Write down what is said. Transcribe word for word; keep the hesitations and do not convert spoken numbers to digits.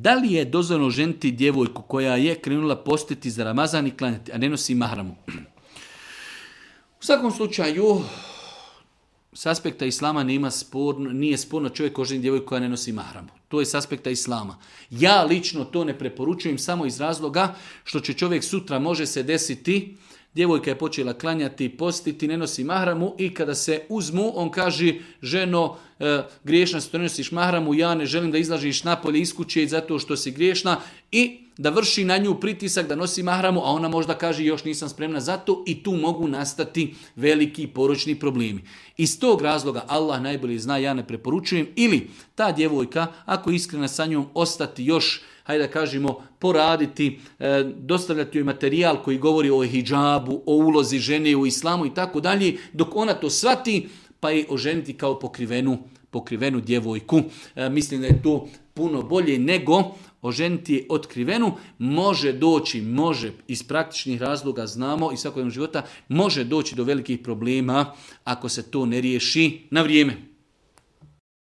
Da li je dozvoljeno ženiti djevojku koja je krenula postiti za Ramazan i klanjati, a ne nosi mahramu? U svakom slučaju, s aspekta islama nema sporno, nije sporno čovjek oženi djevojku koja ne nosi mahramu. To je s aspekta islama. Ja lično to ne preporučujem samo iz razloga što će čovjek sutra može se desiti, djevojka je počela klanjati, postiti, ne nosi mahramu i kada se uzmu, on kaže, ženo, e, griješna si, to ne nosiš mahramu, ja ne želim da izlažiš napolje iz kuće zato što si griješna i da vrši na nju pritisak da nosi mahramu, a ona možda kaže još nisam spremna za to i tu mogu nastati veliki poročni problemi. Iz tog razloga Allah najbolje zna, ja ne preporučujem, ili ta djevojka, ako je iskrena sa njom, ostati još, hajde da kažemo, poraditi, e, dostavljati joj materijal koji govori o hidžabu, o ulozi žene u islamu i tako dalje, dok ona to shvati, pa je oženiti kao pokrivenu, pokrivenu djevojku. E, mislim da je to puno bolje nego oženiti je otkrivenu. Može doći, može iz praktičnih razloga znamo i svakodnevnog života, može doći do velikih problema ako se to ne riješi na vrijeme.